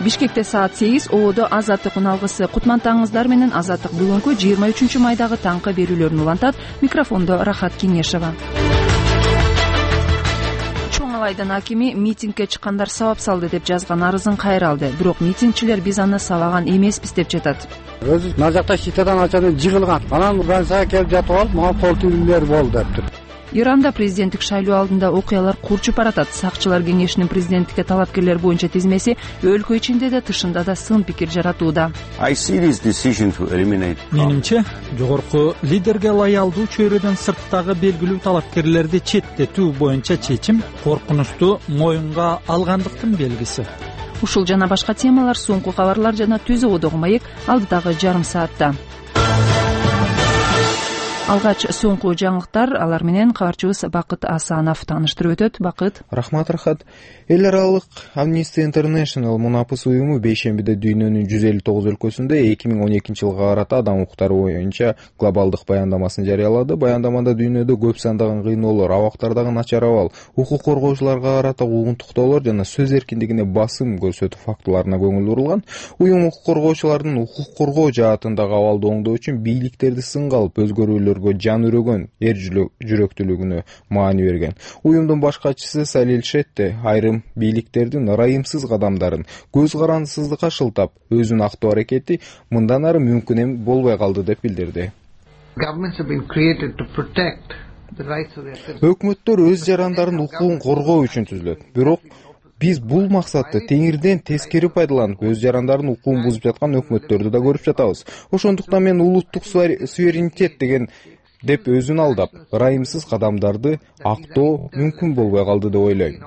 Бишкекте саат 8, Ободо Азаттык уналгысы. Кутмантаңыздар менен Азаттык бүгүнкү 23 майдагы таңкы берүүлөрүн улантат. Микрофондо Рахат Кеңешова. Чоң Алайдын акими митингге чыккандар сабап салды деп жазган арызын кайра алды. Бирок митингчилер биз аны сабаган эмеспиз деп жатат. Өзү мына жакта шитадан ачаны жыгылган. Анан Францияга келип жатып алып, мага кол тийүүлөр болду дептир. Иранда президенттик шайлоо алдында окуялар курчуп баратат. Сакчылар кеңешинин президенттикке талапкерлер боюнча тизмеси өлкө ичинде да тышында да сын пикир жаратууда. Менимче, жогорку лидерге лоялдуу чөйрөдөн сырттагы белгилүү талапкерлерди четтетүү боюнча чечим коркунучту моюнга алгандыктын белгиси. Ушул жана башка темалар соңку кабарлар жана Түз Ободогу маек алдыдагы жарым саатта. Алгач соңку жаңылыктар, алар менен кабарчыбыз Бакыт Асанов тааныштырып өтөт. Бакыт. Рахмат, Рахат. Эл аралык Amnesty International мунапыс уюму бейшембиде дүйнөнүн 159 өлкөсүндө 2012 жылга карата адам укуктары боюнча глобалдык баяндамасын жарыялады. Баяндамада дүйнөдө көп сандаган кыйноолор, абактардагы начар абал, укук коргоочуларга карата угунтуктоолор жана сөз эркиндигине басым көрсөтүү фактыларына көңүл бурулган. Уюм укук коргоочулардын укук коргоо жаатындагы абалды оңдоо үчүн бийликтерди сынга алып өзгөрүүлөргө жан үрөгөн эр жүрөктүүлүгүнө маани берген. Уюмдун баш катчысы Салил Шетте айрым бийликтердин ырайымсыз кадамдарын көз карандысыздыкка шылтап, өзүн актоо аракети мындан ары мүмкүн болбой калды деп билдирди. Өкмөттөр өз жарандарын укугун коргоо үчүн түзүлөт. Бирок биз бул максатты теңирден тескери пайдаланып, өз жарандарын укугун бузуп жаткан өкмөттөрдү да көрүп жатабыз. Ошондуктан мен улуттук суверенитет деп өзүн алдап, ырайымсыз кадамдарды актоо мүмкүн болбой калды деп ойлойм,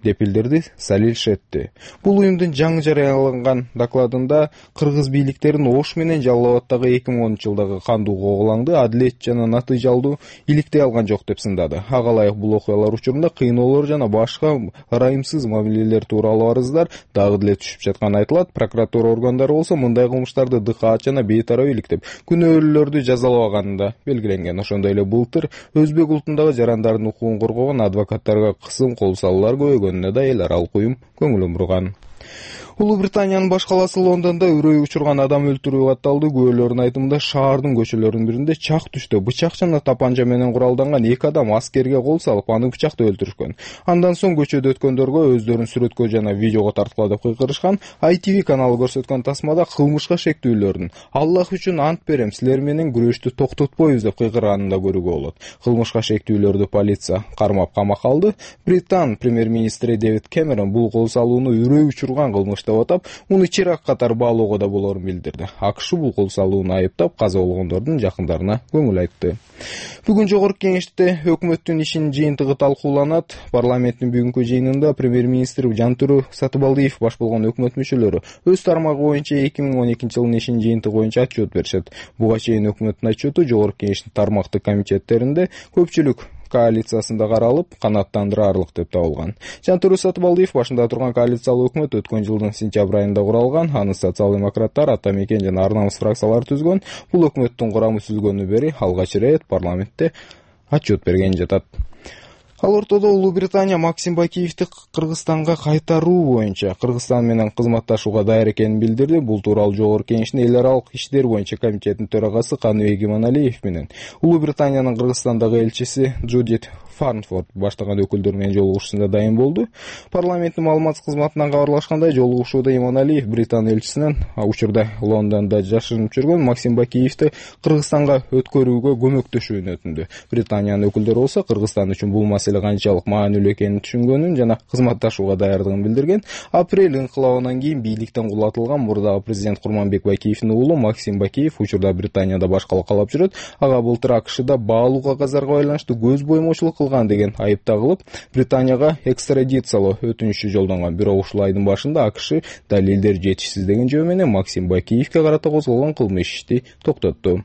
деп билдирди Салил Шетти. Бул уюмдун жаңы жарыяланган докладында кыргыз бийликтерин Ош менен Жалал Абаддагы 2010 жылдагы кандуу когулаңды адилет жана натыйжалдуу иликтей алган жок деп сындады. Ага ылайык бул окуялар учурунда кыйноолор жана башка ырайымсыз мамилелер тууралуу арыздар дагы деле түшүп жатканы айтылат. Прокуратура органдары болсо мындай кылмыштарды дыкаат жана бейтарап иликтеп, күнөөлүүлөрдү жазалабаганы да белгиленген. Ошондой эле былтыр өзбек улутундагы жарандардын укугун коргогон адвокаттарга кысым кол салуулар көбөйгөнүнө да эл аралык уюм көңүл бурган. Улуу Британиянын баш калаасы Лондондо үрөй учурган адам өлтүрүү катталды. Күбөлөрдүн айтымында шаардын көчөлөрүнүн биринде чак түштө бычак жана тапанча менен куралданган 2 адам аскерге кол салып, аны бычактап өлтүрүшкөн. Андан соң көчөдө өткөндөргө өздөрүн сүрөткө жана видеого тарткыла деп кыйкырышкан. ITV каналы көрсөткөн тасмада кылмышка шектүүлөрдүн "Аллах үчүн ант берем, силер менен күрөштү токтотпойбуз" деп кыйкырганын да көрүүгө болот. Кылмышка шектүүлөрдү полиция кармап камакка алды. Британ премьер-министри Дэвид Кэмерон бул кол салууну үрөй учурган кылмыш деп атап, муну чирак катар баалоого да болорун билдирди. АКШ бул кол салууну айыптап, каза болгондордун жакындарына көңүл айтты. Бүгүн жогорку кеңеште өкмөттүн ишинин жыйынтыгы талкууланат. Парламенттин бүгүнкү жыйынында премьер-министр Жантүрү Сатыбалдиев баш болгон өкмөт мүчөлөрү өз тармагы боюнча 2012 жылдын ишинин жыйынтыгы боюнча отчет беришет. Буга чейин өкмөттүн отчету жогорку кеңештин тармактык комитеттеринде көпчүлүк коалициясында каралып, канааттандырарлык деп табылган. Жантүрү Сатыбалдиев башында турган коалициялык өкмөт өткөн жылдын сентябрь айында куралган. Аны социал-демократтар, Ата Мекен жана Ар намыс фракциялары түзгөн. Бул өкмөттүн курамы түзүлгөндөн бери алгач ирет парламентте отчет берген жатат. Ал ортодо Улуу Британия Максим Бакиевди Кыргызстанга кайтаруу боюнча Кыргызстан менен кызматташууга даяр экенин билдирди. Бул тууралуу жогорку кеңештин эл аралык иштер боюнча комитетинин төрагасы Каныбек Иманалиев менен Улуу Британиянын Кыргызстандагы элчиси Джудит Фарнфорд баштаган өкүлдөр менен жолугушуусунда дайын болду. Парламенттин маалымат кызматынан кабарлашкандай, жолугушууда Иманалиев Британ элчисинен учурда Лондондо жашынып жүргөн Максим Бакиевди Кыргызстанга өткөрүүгө көмөктөшүүнү өтүндү. Британиянын өкүлдөрү болсо Кыргызстан үчүн бул маселе канчалык маанилүү экенин түшүнгөнүн жана кызматташууга даярдыгын билдирген. Апрель инкылабынан кийин бийликтен кулатылган мурдагы президент Курманбек Бакиевдин уулу Максим Бакиев учурда Британияда башкала калап жүрөт. Ага былтыр АКШда баалуу кагаздарга байланыштуу көз боймочулук деген айып тагылып, Британияга экстрадициялоо өтүнүчү жолдонгон. Бирок ушул айдын башында АКШ далилдер жетишсиз деген жөө менен Максим Бакиевге карата козголгон кылмыш ишти токтотту.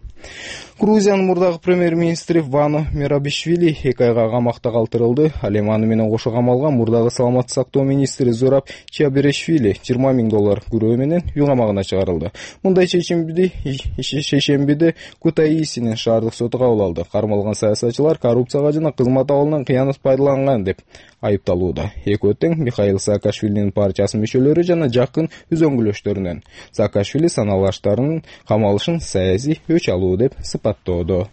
Грузиянын мурдагы премьер-министри Вано Мерабишвили 2 айга камакта калтырылды. Ал эми аны менен кошо камалган мурдагы саламаттык сактоо министри Зураб Чиаберешвили $20,000 күрөө менен үй камагына чыгарылды. Мындай чечимди шейшембиде Кутаисинин шаардык соту кабыл алды. Кармалган саясатчылар коррупцияга жана кызмат абалынан кыянат пайдаланган деп айыпталууда. Экөө тең Михаил Саакашвилинин партиясынын мүчөлөрү жана жакын үзөңгүлөштөрүнөн. Саакашвили саналаштарынын камалышын саясий өч алуу деп сыпаттоодо.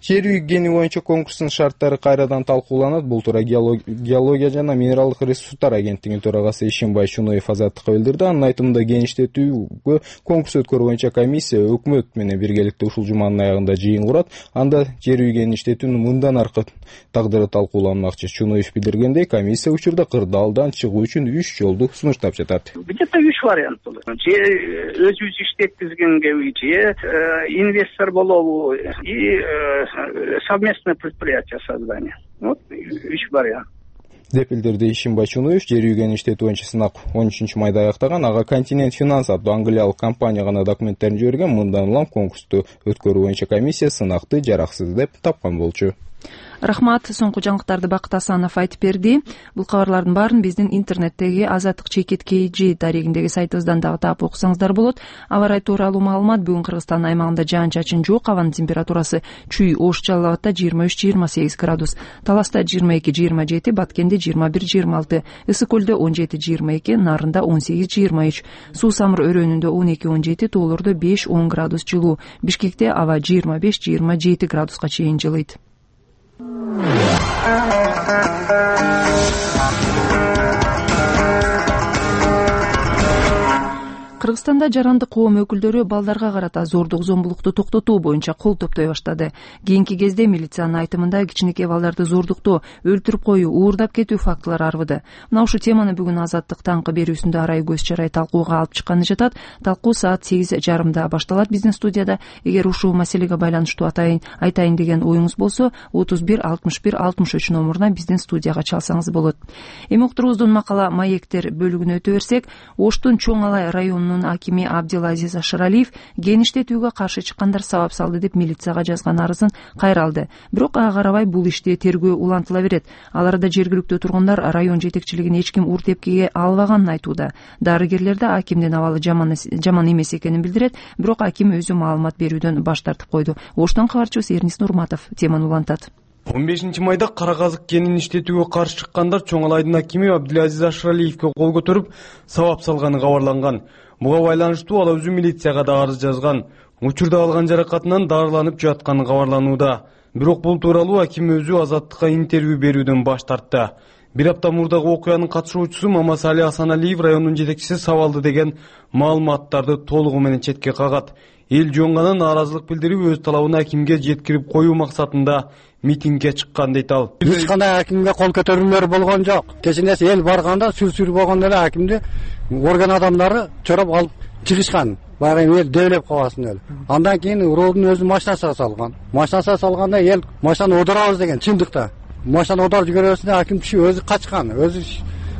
Жер үйгени боюнча конкурстун шарттары кайрадан талкууланат. Бул тууралуу геология жана минералдык ресурстар агенттигинин төрагасы Ишимбай Чуноев Азаттыкка билдирди. Анын айтымында кеңиштетүүгө конкурс өткөрүү боюнча комиссия өкмөт менен биргеликте ушул жуманын аягында жыйын курат. Анда жер үйгени иштетүүнүн мындан аркы тагдыры талкууланмакчы. Чуноев билдиргендей, комиссия учурда кырдаалдан чыгуу үчүн 3 жолду сунуштап жатат. Где-то 3 вариант болот. Же өзүбүз иштеткизгенге же инвестор болобу и совместное предприятие создания. Вот 3 вариант. деп билдирди Ишимбай Чуноев. Жер үйгени иштетүү боюнча сынак 13-майда аяктаган. Ага Континент Финанс аттуу англиялык компания гана документтерин жиберген. Мындан улам конкурсту өткөрүү боюнча комиссия сынакты жараксыз деп тапкан болчу. Рахмат. Соңку жаңылыктарды Бакыт Асанов айтып берди. Бул кабарлардын баарын биздин интернеттеги Азаттык чекит KG дарегиндеги сайтыбыздан дагы таап окусаңыздар болот. Аба ырайы тууралуу маалымат: бүгүн Кыргызстан аймагында жаан-чачын жок, абанын температурасы Чүй, Ош, Жалал Абадта 23-28 градус, Таласта 22-27, Баткенде 21-26, Ысык көлдө 17-22, Нарында 18-23, Суу Самыр өрөөнүндө 12-17, Тоолордо 5-10 градус жылуу, Бишкекте аба 25-27 градуска чейин жылыйт. Кыргызстанда жарандык коом өкүлдөрү балдарга карата зордук зомбулукту токтотуу боюнча кол топтой баштады. Кийинки кезде милициянын айтымында кичинекей балдарды зордуктоо, өлтүрүп коюу, уурдап кетүү фактылары арбыды. Мына ушул теманы бүгүн Азаттык таңкы берүүсүндө арай көз чарай талкууга алып чыкканы жатат. Талкуу саат 8:30 башталат биздин студияда. Эгер ушул маселеге байланыштуу айтайын деген оюңуз болсо 31 61 63 номуруна биздин студияга чалсаңыз болот. Эми уктуруубуздун макала маектер бөлүгүнө өтө берсек, Оштун Чоң Алай районунун акими Абдилазиз Ашыралиев ген иштетүүгө каршы чыккандар сабап салды деп милицияга жазган арызын кайра алды. Бирок ага карабай бул ишти тергөө улантыла берет. Ал арада жергиликтүү тургундар район жетекчилигин эч ким ур тепкиге албаганын айтууда. Дарыгерлер да акимдин абалы жаман эмес экенин билдирет, бирок аким өзү маалымат берүүдөн баш тартып койду. Оштон кабарчыбыз Эрнис Нурматов теманы улантат. 15-майда кара казык кенин иштетүүгө каршы чыккандар Чоң Алайдын акими Абдилазиз Ашыралиевке кол көтөрүп сабап салганы кабарланган. Буга байланыштуу ал өзү милицияга да арыз жазган. Учурда алган жаракатынан дарыланып жатканы кабарланууда. Бирок бул тууралуу аким өзү Азаттыкка интервью берүүдөн баш тартты. Бир апта мурдагы окуянын катышуучусу Мамасали Асаналиев райондун жетекчиси сабалды деген маалыматтарды толугу менен четке кагат. Эл жоңганы нааразылык билдирип өз талабын акимге жеткирип коюу максатында митингге чыккан дейт ал. Эч кандай акимге кол көтөрүүлөр болгон жок. Кечинде эл барганда сүр болгондо эле акимди орган адамдары чорап алып чыгышкан. Баягы эл дөөлөп калбасын эле. Андан кийин уроодун өзү машинасына салган. Машинасына салганда эл машинаны оодарабыз деген чындыкта. Машинаны оодарып жиберебиз аким киши өзү качкан. Өзү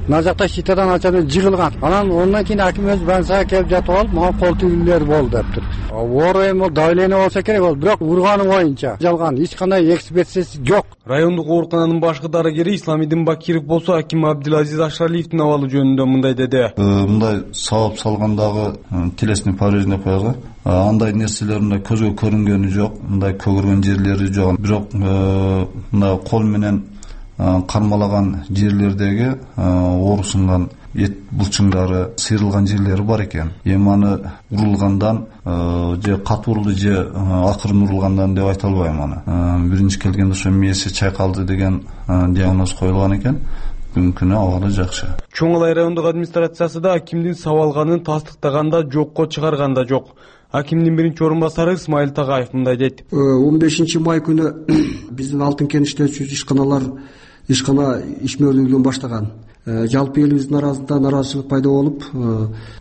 мына жакта шитадан ачаны жыгылган. Андан кийин аким өзү больницага келип жатып алып, мага кол тийүүлөр болду дептир. Оор эми давление болсо керек болду, бирок урганы боюнча жалган, эч кандай экспертизасы жок. Райондук оорукананын башкы дарыгери Исламидин Бакиров болсо аким Абдилазиз Ашыралиевдин абалы жөнүндө мындай деди. Мындай сабап салгандагы телесный повреждение коюлган. Андай нерселеринде көзгө көрүнгөнү жок, мындай көгөргөн жерлери жок. Бирок мына кол менен кармалаган жерлердеги оорусунган эт булчуңдары, сыйрылган жерлери бар экен. Эми аны урулгандан же катуу урулду же акырын урулгандан деп айта албайм аны. Биринчи келгенде ошо мээси чайкалды деген диагноз коюлган экен. Бүгүнкү күнү абалы жакшы. Чоң Алай райондук администрациясы да акимдин сабалганын тастыктаганда жокко чыгарганда жок. Акимдин биринчи орун-басары Исмаил Тагаев мындай дейт. 15-май күнү биздин алтын кен иштетүүчү ишкана ишмөрлүүлүгүн баштаган. Жалпы элибиздин арасында нааразычылык пайда болуп,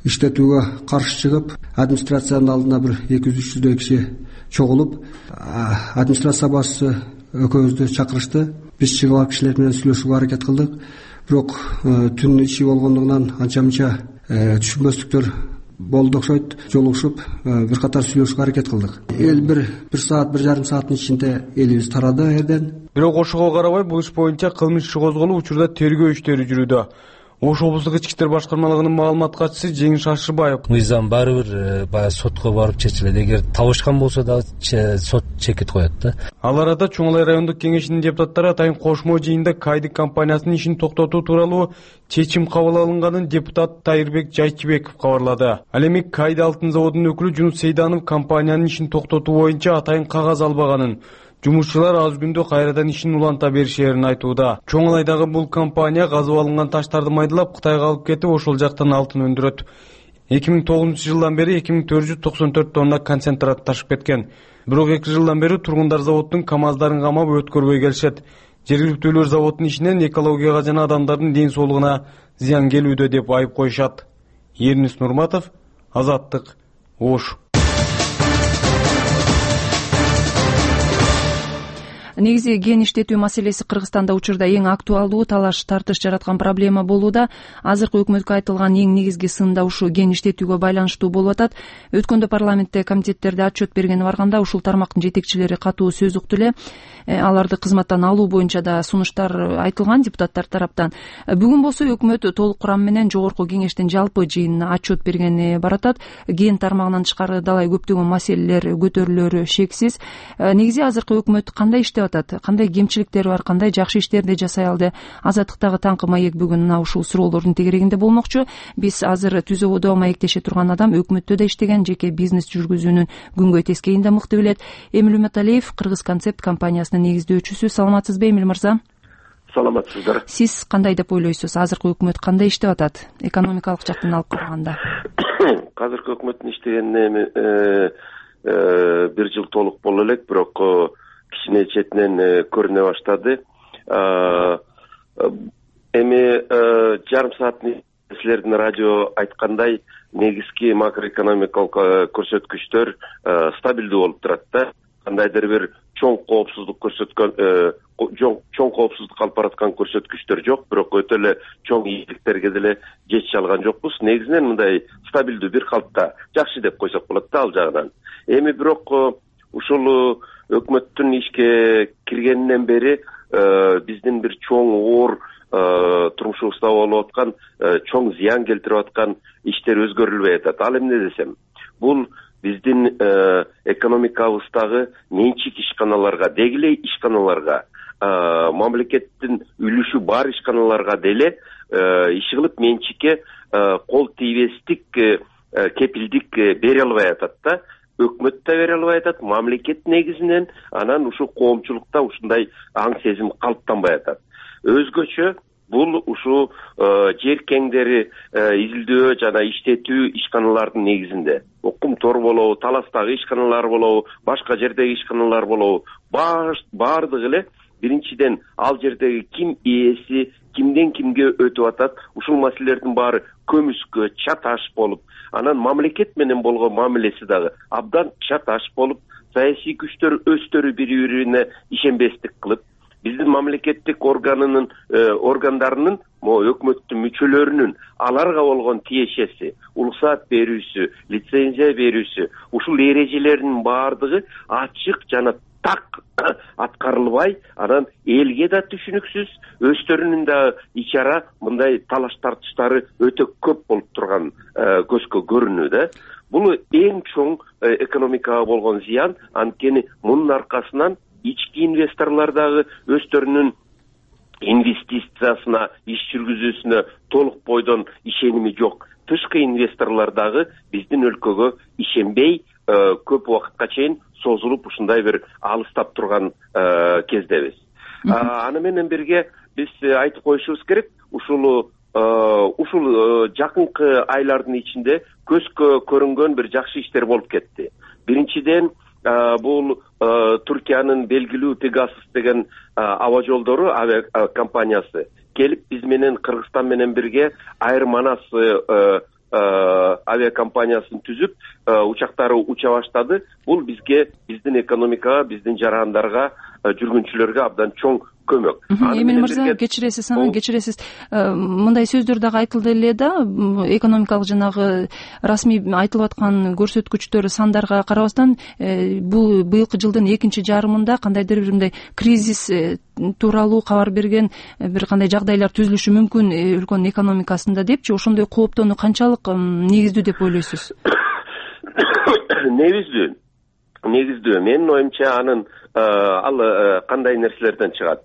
иштетүүгө каршы чыгып, администрациянын алдына бир 200-300 киши чогулуп, администрация башчысы экөөбүздү чакырышты. Биз чыгып алып кишилер менен сүйлөшүүгө аракет кылдык. Бирок түн иши болгондугунан анча-мынча түшүнбөстүктөр болду окшойт. Жолугушуп бир катар сүйлөшүүгө аракет кылдык. Эл бир саат, 1,5 сааттын ичинде элибиз тарады жерден. Бирок ошого карабай бул иш боюнча кылмыш иши козголуп, учурда тергөө иштери жүрүүдө. Ош облустук ички иштер башкармалыгынын маалымат катчысы Жеңиш Ашырбаев: Мыйзам баары бир баягы сотко барып чечилет. Эгер табышкан болсо дагы сот чекит коет да. Ал арада Чоң Алай райондук кеңешинин депутаттары атайын кошмо жыйында Кайдык компаниясынын ишин токтотуу тууралуу чечим кабыл алынганын депутат Тайырбек Жайчыбеков кабарлады. Ал эми Кайды алтын заводунун өкүлү Жунус Сейданов компаниянын ишин токтотуу боюнча атайын кагаз албаганын, жумушчулар аз күндө кайрадан ишин уланта беришерин айтууда. Чоң Алайдагы бул компания казып алынган таштарды майдалап Кытайга алып кетип, ошол жактан алтын өндүрөт. 2009-жылдан бери 2494 тонна концентрат ташып кеткен. Бирок 2 жылдан бери тургундар заводдун КАМАЗдарын камап өткөрбөй келишет. Жергиликтүүлөр заводдун ишинен экологияга жана адамдардын ден соолугуна зыян келүүдө деп айып коюшат. Ернис Нурматов, Азаттык, Ош. Негизи ген иштетүү маселеси Кыргызстанда учурда эң актуалдуу, талаш тартыш жараткан проблема болууда. Азыркы өкмөткө айтылган эң негизги сын да ушу ген иштетүүгө байланыштуу болуп атат. Өткөндө парламентте комитеттерде отчет бергени барганда ушул тармактын жетекчилери катуу сөз укту эле. Аларды кызматтан алуу боюнча да сунуштар айтылган депутаттар тараптан. Бүгүн болсо өкмөт толук курам менен жогорку кеңештин жалпы жыйынына отчет бергени баратат. Ген тармагынан тышкары далай көптөгөн маселелер көтөрүлөрү шексиз. Негизи азыркы өкмөт кандай иштеп атат, кандай кемчиликтери бар, кандай жакшы иштерди жасай алды? Азаттыктагы таңкы маек бүгүн ушул суроолордун тегерегинде болмокчу. Биз азыр түзөбөдө маектеше турган адам, өкмөттө да иштеген, жеке бизнес жүргүзүүнүн күнгөй тескейин да мыкты билет. Эмил Уматалиев, Кыргыз концепт компаниясынын негиздөөчүсү. Саламатсызбы Эмил мырза? Саламатсыздар. Сиз кандай деп ойлойсуз? Азыркы өкмөт кандай иштеп атат, экономикалык жактан алып караганда? Азыркы өкмөттүн иштегенине 1 жыл толук боло элек, бирок кичине четинен көрүнө баштады. Эми жарым сааттын силердин радио айткандай негизги макроэкономикалык көрсөткүчтөр стабилдүү болуп турат да. Кандайдыр бир чоң коопсуздук алып бараткан көрсөткүчтөр жок, бирок өтө эле чоң ийгиликтерге деле жетише алган жокпуз. Негизинен мындай стабилдүү бир калыпта жакшы деп койсок болот да ал жагынан. Эми бирок ушул өкмөттүн ишке киргенинен бери биздин бир чоң оор турмушубузда болуп аткан чоң зыян келтирип аткан иштер өзгөрүлбөй атат. Ал эмне десем, бул биздин экономикабыздагы менчик ишканаларга, дегиле ишканаларга, мамлекеттин үлүшү бар ишканаларга деле иши кылып менчикке кол тийбестик кепилдик бере албай атат да. Өкмөт да бере албай атат, мамлекет негизинен, анан ушул коомчулукта ушундай аң сезим калыптанбай атат. Өзгөчө бул ушу жер кеңдери изилдөө жана иштетүү ишканалардын негизинде. Окум тор болобу, таластагы ишканалар болобу, башка жердеги ишканалар болобу, баардыгы эле биринчиден ал жердеги ким ээси, кимден кимге өтүп атат, ушул маселелердин баары көмүскө, чаташ болуп, анан мамлекет менен болгон мамилеси дагы абдан чаташ болуп, саясий күчтөр өздөрү бири-бирине ишенбестик кылып, биздин мамлекеттик органдарынын, өкмөттүн мүчөлөрүнүн аларга болгон тиешеси, уруксаат берүүсү, лицензия берүүсү, ушул эрежелердин баардыгы ачык жана так аткарылбай, анан элге да түшүнүксүз, өздөрүнүн да ичара мындай талаш тартыштары өтө көп болуп турган көзгө көрүнүү да. Бул эң чоң экономикага болгон зыян, анткени мунун аркасынан ички инвесторлор дагы өздөрүнүн инвестициясына, иш жүргүзүүсүнө толук бойдон ишеними жок. Тышкы инвесторлор дагы биздин өлкөгө ишенбей, көп убакытка чейин созулуп ушундай бир алыстап турган кездебиз. Аны менен бирге биз айтып коюшубуз керек, ушул жакынкы айлардын ичинде көзгө көрүнгөн бир жакшы иштер болуп кетти. Биринчиден бул Туркиянын белгилүү Pegasus деген аба жолдору авиакомпаниясы келип биз менен Кыргызстан менен бирге Air Manas авиакомпаниясын түзүп, учактары уча баштады. Бул бизге, биздин экономикага, биздин жарандарга, жүргүнчүлөргө абдан чоң көмөк. Эмил мырза, кечиресиз, мындай сөздөр дагы айтылды эле да, экономикалык жанагы расмий айтылып аткан көрсөткүчтөр сандарга карабастан бул быйылкы жылдын экинчи жарымында кандайдыр бир мындай кризис тууралуу кабар берген бир кандай жагдайлар түзүлүшү мүмкүн өлкөнүн экономикасында депчи, ошондой кооптонуу канчалык негиздүү деп ойлойсуз? Негиздүү. Менин оюмча анын ал кандай нерселерден чыгат?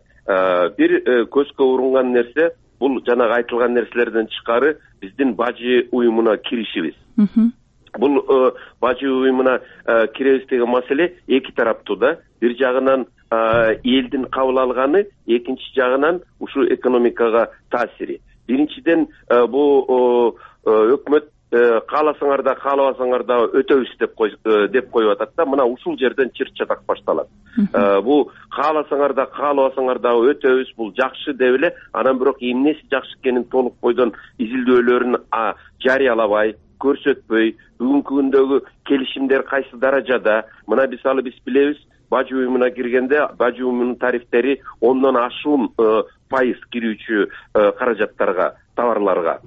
Бир көзгө урунган нерсе бул жанагы айтылган нерселерден тышкары биздин бажы уюмуна киришибиз. Бул бажы уюмуна киребиз деген маселе эки тараптуу да. Бир жагынан элдин кабыл алганы, экинчи жагынан ушул экономикага таасири. Биринчиден бул өкмөт кааласаңар да каалабасаңар да өтөбүз деп коюп атат да. Мына ушул жерден чыр-чатак башталат. Бул кааласаңар да каалабасаңар да өтөбүз, бул жакшы деп эле, анан бирок эмнеси жакшы экенин толук бойдон изилдөөлөрүн жарыялабай, көрсөтпөй, бүгүнкү күндөгү келишимдер кайсы даражада, мына мисалы биз билебиз, бажы уюмуна киргенде бажы уюмунун тарифтери 10дон ашуун пайыз кирүүчү каражаттарга, товарларга.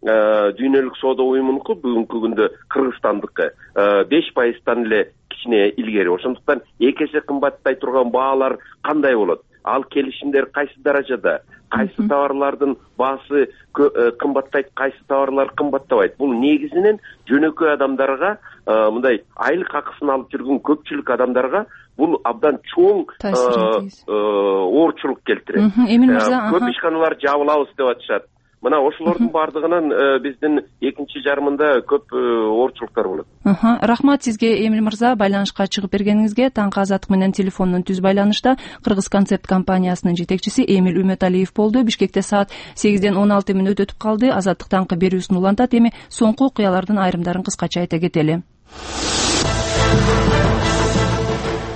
Дүйнөлүк соода уюмунуку бүгүнкү күндө Кыргызстандыкы 5%тан эле кичине илгери. Ошондуктан эки эсе кымбаттай турган баалар кандай болот? Ал келишимдер кайсы даражада? Кайсы товарлардын баасы кымбаттайт, кайсы товарлар кымбаттабайт? Бул негизинен жөнөкөй адамдарга, мындай айлык акысын алып жүргөн көпчүлүк адамдарга бул абдан чоң оорчулук келтирет. Көп ишканалар жабылабыз деп атышат. Мына ошолордун бардыгынан биздин экинчи жарымында көп оорчулуктар болот. Рахмат сизге Эмил мырза, байланышка чыгып бергениңизге. Таңкы Азаттык менен телефондон түз байланышта Кыргыз концепт компаниясынын жетекчиси Эмил Үмөталиев болду. Бишкекте саат 8ден 16 мүнөт өтүп калды. Азаттык таңкы берүүсүн улантат. Эми соңку окуялардын айрымдарын кыскача айта кетели.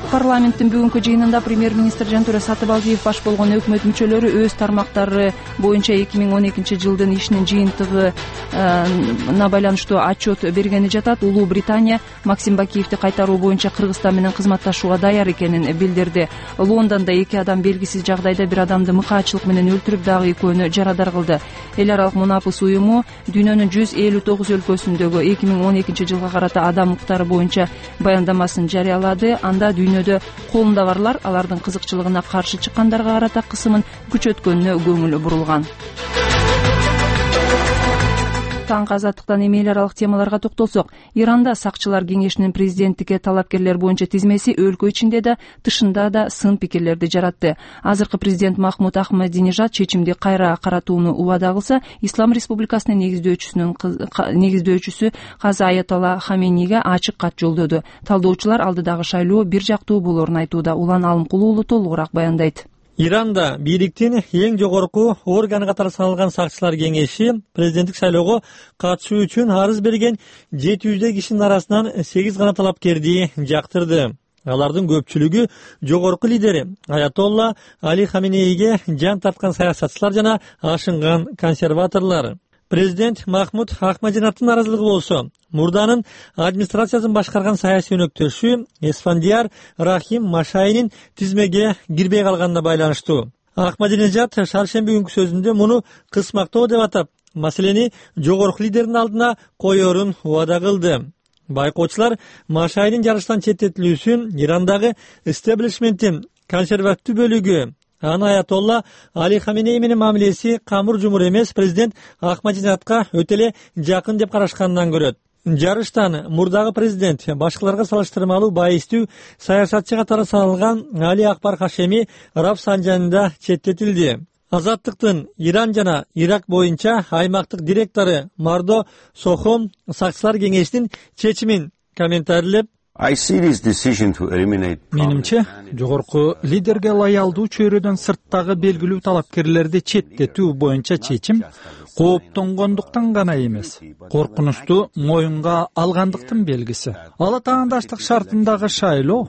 Парламенттин бүгүнкү жыйынында премьер-министр Жантөре Сатыбалдиев баш болгон өкмөт мүчөлөрү өз тармактары боюнча 2012 жылдын ишинин жыйынтыгына байланыштуу отчет бергени жатат. Улуу Британия Максим Бакиевди кайтаруу боюнча Кыргызстан менен кызматташууга даяр экенин билдирди. Лондондо 2 адам белгисиз жагдайда бир адамды мыкаачылык менен өлтүрүп, дагы 2-өөнү жарадар кылды. Эл аралык мунапыс уюму дүйнөнүн 159 өлкөсүндөгү 2012 жылга карата адам укуктары боюнча баяндамасын жарыялады. Анда дүйнөдө колунда барлар алардын кызыкчылыгына каршы чыккандарга карата кысымын күчөткөнүнө көңүл бурулган. Таңкы Азаттыктан эми эл аралык темаларга токтолсок, Иранда сакчылар кеңешинин президенттикке талапкерлер боюнча тизмеси өлкө ичинде да, тышында да сын пикирлерди жаратты. Азыркы президент Махмуд Ахмадинежад чечимди кайра каратууну убада кылса, Ислам Республикасынын негиздөөчүсү Казы Аятолла Хаменейге ачык кат жолдоду. Талдоочулар алдыдагы шайлоо бир жактуу болоорун айтууда. Улан Алымкулуу уулу толугураак баяндайт. Иранда бийликтин эң жогорку органы катары саналган сакчылар кеңеши президенттик шайлоого катышуу үчүн арыз берген 700 кишинин арасынан 8 гана талапкерди жактырды. Алардын көпчүлүгү жогорку лидери Аятолла Али Хаменейге жан тарткан саясатчылар жана ашынган консерваторлор. Президент Махмуд Ахмадинежаддын наразылыгы болсо, мурданын администрациясын башкарган саясий өнөктөшү Эсфандияр Рахим Машайнин тизмеге кирбей калганына байланыштуу. Ахмадинежад шаршемби күнкү сөзүндө муну кысмактоо деп атап, маселени жогорку лидердин алдына коёрун убада кылды. Байкоочулар Машайнин жарыштан четтетилүүсүн Ирандагы истеблишменттин консервативдүү бөлүгү Аятолла Али Хаменей менен мамилеси камыр жумур эмес президент Ахмадинежадка өтө эле жакын деп карашканынан көрөт. Жарыштан мурдагы президент башкаларга салыштырмалуу байыстуу саясатчы катары саналган Али Акбар Хашеми Рафсанжанында четтетилди. Азаттыктын Иран жана Ирак боюнча аймактык директору Мардо Сохом сакчылар кеңешинин чечимин комментарийлеп, менимче, жогорку лидерге лаялдуу чөйрөдөн сырттагы белгилүү талапкерлерди четтетүү боюнча чечим кооптонгондуктан гана эмес, коркунучту моюнга алгандыктын белгиси. Ала таандаштык шартындагы шайлоо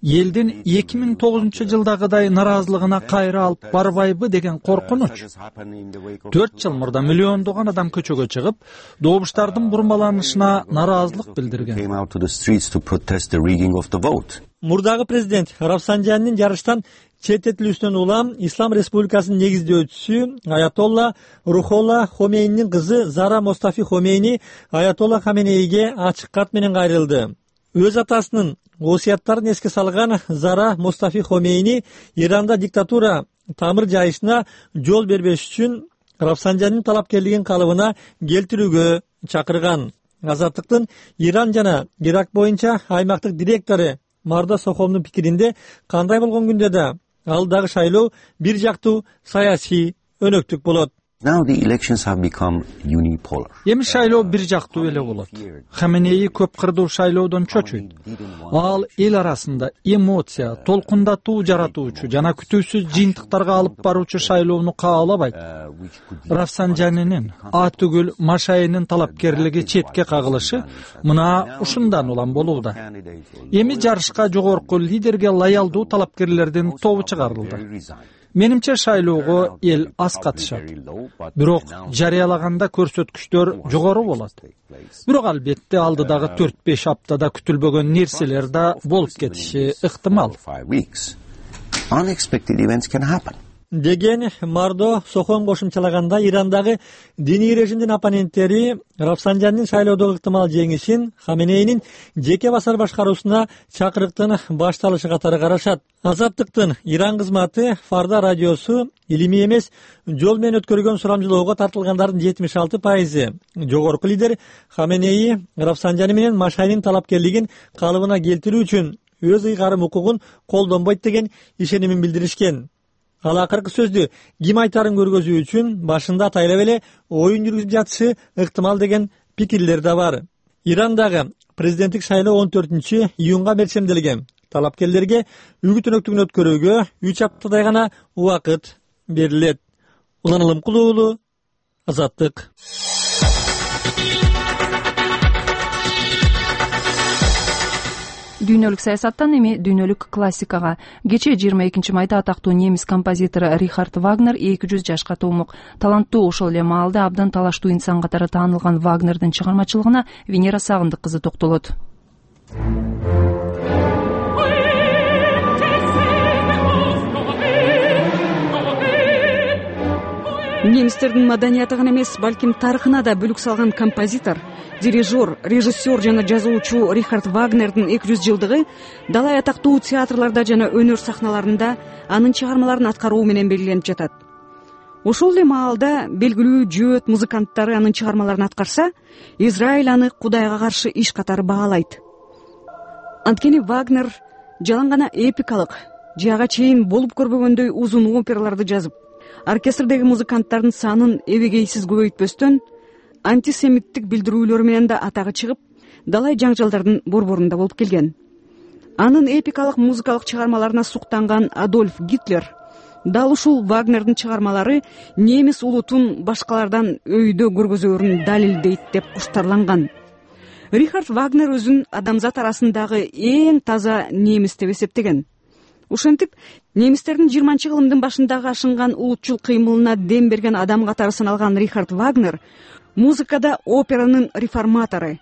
элдин 2009 жылдагыдай наразылыгына кайра алып барбайбы деген коркунуч. 4 жыл мурда миллиондогон адам көчөгө чыгып, добуштардын бурмаланышына наразылык билдирген. Мурдагы президент Рафсанжандын жарыштан четтетилүүсүнөн улам Ислам Республикасынын негиздөөчүсү Аятолла Рухолла Хомейнинин кызы Зара Мустафи Хомейни Аятолла Хаменейге ачык кат менен кайрылды. Өз атасынын осуяттарын эске салган Зара Мустафи Хомейни Иранда диктатура тамыр жайышына жол бербеш үчүн Рафсанжанин талапкерлигин калыбына келтирүүгө чакырган. Азаттыктын Иран жана Ирак боюнча аймактык директору Марда Сохомдун пикиринде кандай болгон күндө да алдагы шайлоо бир жактуу саясий өнөктүк болот. Эми шайлоо бир жактуу эле болот. Хаменеи көп кырдуу шайлоодон чочуйт. Ал эл арасында эмоция, толкундатуу жаратуучу жана күтүүсүз жыйынтыктарга алып баруучу шайлоону каалабайт. Рафсанжанинин түгүл Машайынын талапкерлиги четке кагылышы мына ушундан улам болууда. Эми жарышка жогорку лидерге лоялдуу талапкерлердин тобу чыгарылды. Менимче шайлоого эл аз катышат. Бирок жарыялаганда көрсөткүчтөр жогору болот. Бирок албетте алдыдагы 4-5 аптада күтүлбөгөн нерселер да болуп кетиши ыктымал. Деген Мардо Сохом кошумчалаганда Ирандагы диний режимдин оппоненттери Рафсанжандын шайлоодогу ыктымал жеңишин Хаменейнин жеке басар башкаруусуна чакырыктын башталышы катары карашат. Азаттыктын Иран кызматы Фарда радиосу илимий эмес жол менен өткөрүлгөн сурамжылоого тартылгандардын 76% жогорку лидер Хаменей Рафсанжани менен Машайнын талапкерлигин калыбына келтирүү үчүн өз ыйгарым укугун колдонбойт деген ишенимин билдиришкен. Ал акыркы сөздү ким айтарын көргөзүү үчүн башында атайлап эле оюн жүргүзүп жатышы ыктымал деген пикирлер да бар. Ирандагы президенттик шайлоо 14-июнга мерчемделген. Талапкерлерге үгүт өнөктүгүн өткөрүүгө 3 аптадай гана убакыт берилет. Улан Алымкулуу уулу, Азаттык. Дүйнөлүк саясаттан эми дүйнөлүк классикага. Кечээ 22 майда атактуу немис композитор Рихард Вагнер 200 жашка толмок. Таланттуу ошол эле маалда абдан талаштуу инсан катары таанылган Вагнердин чыгармачылыгына Венера Сагындык кызы токтолот. Немистердин маданияты гана эмес, балким тарыхына да бүлүк салган композитор, дирижер, режиссер жана жазуучу Рихард Вагнердин 200 жылдыгы далай атактуу театрларда жана өнөр сахналарында анын чыгармаларын аткаруу менен белгиленип жатат. Ошол эле маалда белгилүү жөөт музыканттары анын чыгармаларын аткарса, Израиль аны Кудайга каршы иш катары баалайт. Анткени Вагнер жалаң гана эпикалык, жага чейин болуп көрбөгөндөй узун операларды жазып, оркестрдеги музыканттардын санын эбегейсиз көбөйтпөстөн, антисемиттик билдирүүлөрү менен да атагы чыгып, далай жаңжалдардын борборунда болуп келген. Анын эпикалык музыкалык чыгармаларына суктанган Адольф Гитлер дал ушул Вагнердин чыгармалары немис улутун башкалардан өйдө көргөзөөрүн далилдейт деп куштарланган. Рихард Вагнер өзүн адамзат арасындагы эң таза немис деп эсептеген. Ошентип, немистердин 20-кылымдын башындагы ашынган улутчул кыймылына дем берген адам катары саналган Рихард Вагнер музыкада операнын реформатору,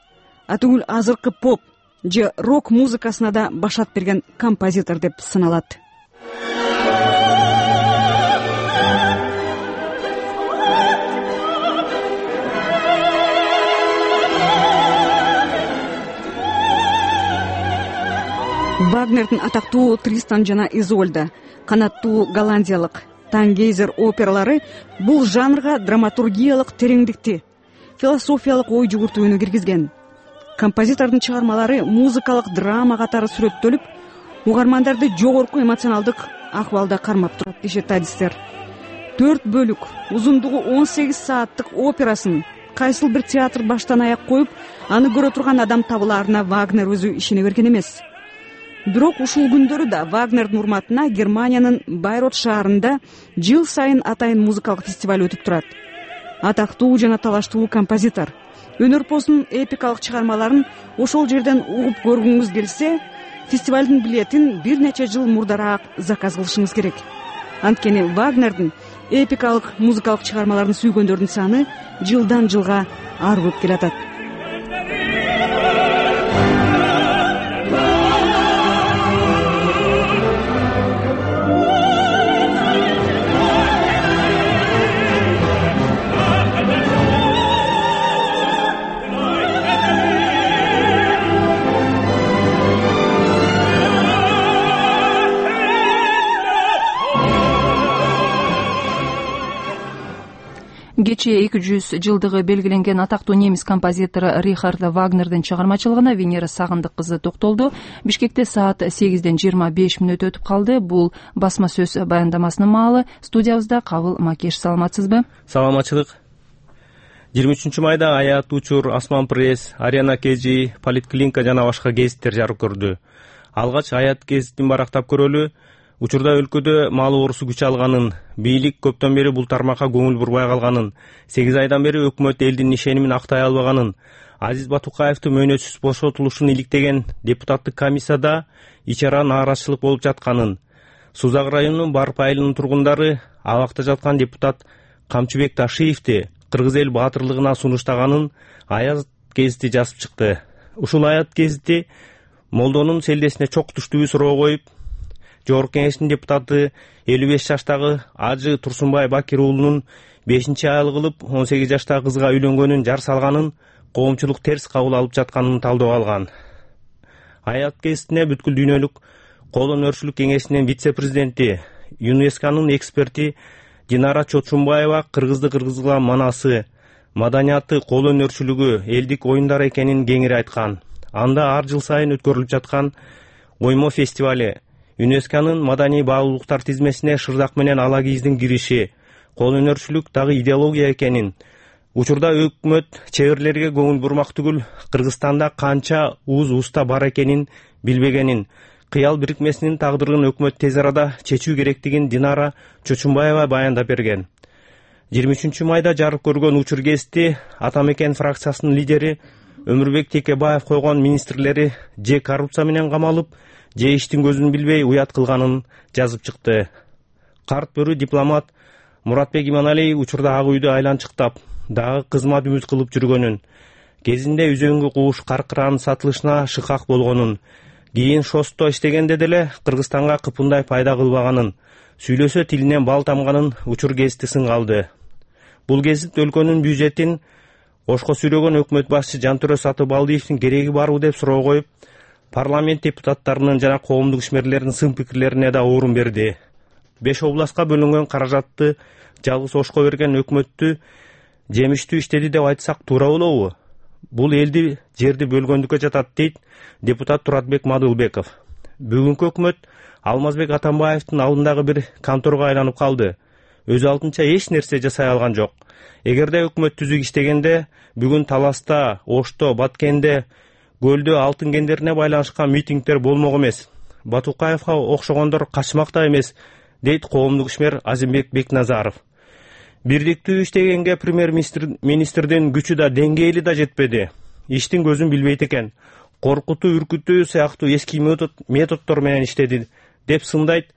түгүл азыркы поп же рок музыкасына да башат берген композитор деп саналат. Вагнердин атактуу Тристан жана Изольда, канаттуу голландиялык Тангейзер опералары бул жанрга драматургиялык тереңдикти, философиялык ой жүгүртүүнү киргизген. Композитордун чыгармалары музыкалык драма катары сүрөттөлүп, угармандарды жогорку эмоционалдык акыбалда кармап турат дешет адистер. 4 бөлүк, узундугу 18 сааттык операсын кайсыл бир театр баштан аяк коюп, аны көрө турган адам табылаарына Вагнер өзү ишене берген эмес. Бирок ушул күндөрү да Вагнердин урматына Германиянын Байрот шаарында жыл сайын атайын музыкалык фестиваль өтүп турат. Атактуу жана талаштуу композитор өнөрпоздун эпикалык чыгармаларын ошол жерден угуп көргүңүз келсе, фестивалдын билетин бир нече жыл мурдараак заказ кылышыңыз керек. Анткени Вагнердин эпикалык музыкалык чыгармаларын сүйгөндөрдүн саны жылдан жылга арып келатат. Кечээ 200 жылдыгы белгиленген атактуу немис композитору Рихард Вагнердин чыгармачылыгына Венера Сагындык кызы токтолду. Бишкекте саат 8ден 25 мүнөт өтүп калды. Бул басма сөз баяндамасынын маалы. Студиябызда Кабыл Макеш. Саламатсызбы? Саламатчылык. 23 майда Аят, Учур, Асман пресс, Арена Кежи, Политклиника жана башка гезиттер жарык көрдү. Алгач Аят гезитин барактап көрөлү. Учурда өлкөдө мал оорусу күч алганын, бийлик көптөн бери бул тармакка көңүл бурбай калганын, 8 айдан бери өкмөт элдин ишенимин актай албаганын, Азиз Батукаевдин мөөнөтсүз бошотулушун иликтеген депутаттык комиссияда ичара нааразычылык болуп жатканын, Сузак районунун Барп айылынын тургундары абакта жаткан депутат Камчыбек Ташиевди кыргыз эл баатырлыгына сунуштаганын Аят гезити жазып чыкты. Ушул Аят гезити Молдонун селдесине чок түштүүбү суроо коюп, Жогорку Кеңештин депутаты 55 жаштагы Ажы Турсунбай Бакир уулунун 5-айлык кылып 18 жаштагы кызга үйлөнгөнүн жар салганын, коомчулук терс кабыл алып жатканын талдоо алган. Аят гезитине бүткүл дүйнөлүк колөнөрчүлүк кеңешинин вице-президенти, ЮНЕСКОнун эксперти Динара Чочумбаева кыргызга манасы, маданияты, колөнөрчүлүгү, элдик оюндар экенин кеңири айткан. Анда ар жыл сайын өткөрүлүп жаткан оймо фестивали, ЮНЕСКОнун маданий баалуулуктар тизмесине шырдак менен ала кийиздин кириши, колөнөрчүлүк дагы идеология экенин, учурда өкмөт чеберлерге көңүл бурмак түгүл, Кыргызстанда канча уста бар экенин билбегенин, кыял бирикмесинин тагдырын өкмөт тез арада чечүү керектигин Динара Чочумбаева баяндап берген. 23 майда жарык көргөн Учур гезити Ата Мекен фракциясынын лидери Өмүрбек Текебаев койгон министрлери же коррупция менен камалып, же иштин көзүн билбей уят кылганын жазып чыкты. Карт бөрү дипломат Муратбек Иманалиев учурда Ак үйдү айланчыктап, дагы кызмат үмүт кылып жүргөнүн, кезинде үзөңгү кууш каркыранын сатылышына шыкак болгонун, кийин шосто иштегенде деле Кыргызстанга кыпындай пайда кылбаганын, сүйлөсө тилинен бал тамганын Учур гезити сынга алды. Бул гезит өлкөнүн бюджетин ошко сүрөгөн өкмөт башчы Жантөрө Сатыбалдиевдин кереги барбы деп суроо коюп, парламент депутаттарынын жана коомдук ишмерлердин сын пикирлерине да орун берди. 5 областка бөлүнгөн каражатты жалгыз ошко берген өкмөттү жемиштүү иштеди деп айтсак туура болобу? Бул элди жерди бөлгөндүккө жатат, дейт депутат Туратбек Мадылбеков. Бүгүнкү өкмөт Алмазбек Атамбаевдин алдындагы бир конторго айланып калды. Өз алдынча эч нерсе жасай алган жок. Эгерде өкмөт түзүк иштегенде, бүгүн Таласта, Ошто, Баткенде, Көлдө алтын кендерине байланышкан митингдер болмок эмес. Батукаевга окшогондор качмак да эмес, дейт коомдук ишмер Азимбек Бекназаров. Бирдиктүү иштегенге премьер-министрдин күчү да деңгээли да жетпеди. Иштин көзүн билбейт экен. Коркутуу, үркүтүү сыяктуу эски методдор менен иштеди, деп сындайт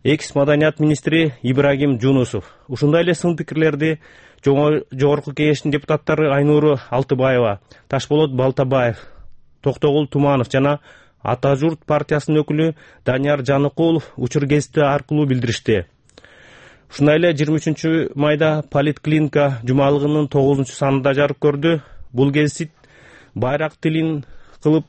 экс-маданият министри Ибрагим Жунусов. Ушундай эле сын пикирлерди Жогорку Кеңештин депутаттары Айнуру Алтыбаева, Ташболот Балтабаев, Токтогул Туманов жана Ата журт партиясынын өкүлү Данияр Жаныкулов Учур гезити аркылуу билдиришти. Ушундай эле 23 майда Политклиника жумалыгынын 9-санында жарык көрдү. Бул гезит байрак тилин кылып,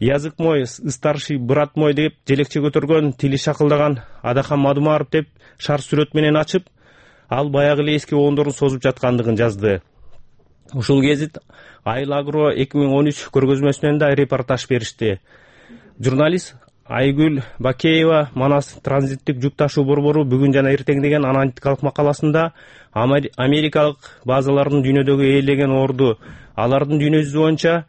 язык мой, старший брат мой деп желекче көтөргөн, тили шакылдаган Адахан Мадумаров деп шар сүрөт менен ачып, ал баягы эле эски оондорун созуп жаткандыгын жазды. Ушул гезит Айыл Агро 2013 көргөзмөсүнөн да репортаж беришти. Журналист Айгүл Бакеева Манас транзиттик жүк ташуу борбору бүгүн жана эртең деген аналитикалык макаласында америкалык базалардын дүйнөдөгү ээлеген орду, алардын дүйнө жүзү боюнча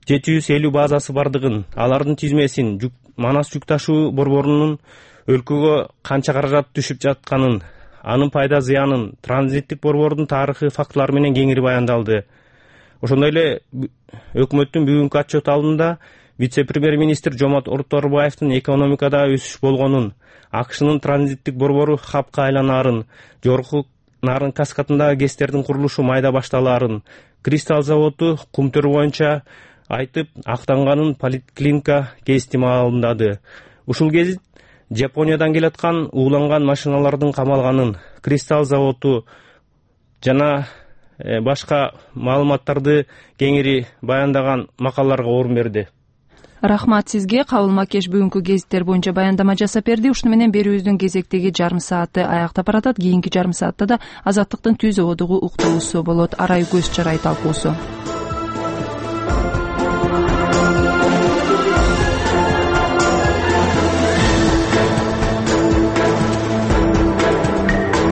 750 базасы бардыгын, алардын тизмесин, Манас жүк ташуу борборунун өлкөгө канча каражат түшүп жатканын, анын пайда зыянын, транзиттик борбордун тарыхый фактылары менен кеңири баяндалды. Ошондой эле өкмөттүн бүгүнкү отчет алдында вице-премьер-министр Жомарт Орторбаевдин экономикада өсүш болгонун, АКШнын транзиттик борбору хабка айланаарын, жогорку нарын каскадындагы ГЭСтердин курулушу майда башталаарын, Кристалл заводу кумтөр боюнча айтып, актанганын Политклиника гезити маалымдады. Ушул гезит Жапониядан келаткан ууланган машиналардын камалганын, Кристалл заводу жана башка маалыматтарды кеңири баяндаган макалаларга орун берди. Рахмат сизге. Кабыл Макеш бүгүнкү гезиттер боюнча баяндама жасап берди. Ушуну менен берүүбүздүн кезектеги жарым сааты аяктап баратат. Кийинки жарым саатта да Азаттыктын түз ободугу уктуусу болот. Арай көз чарай талкуусу.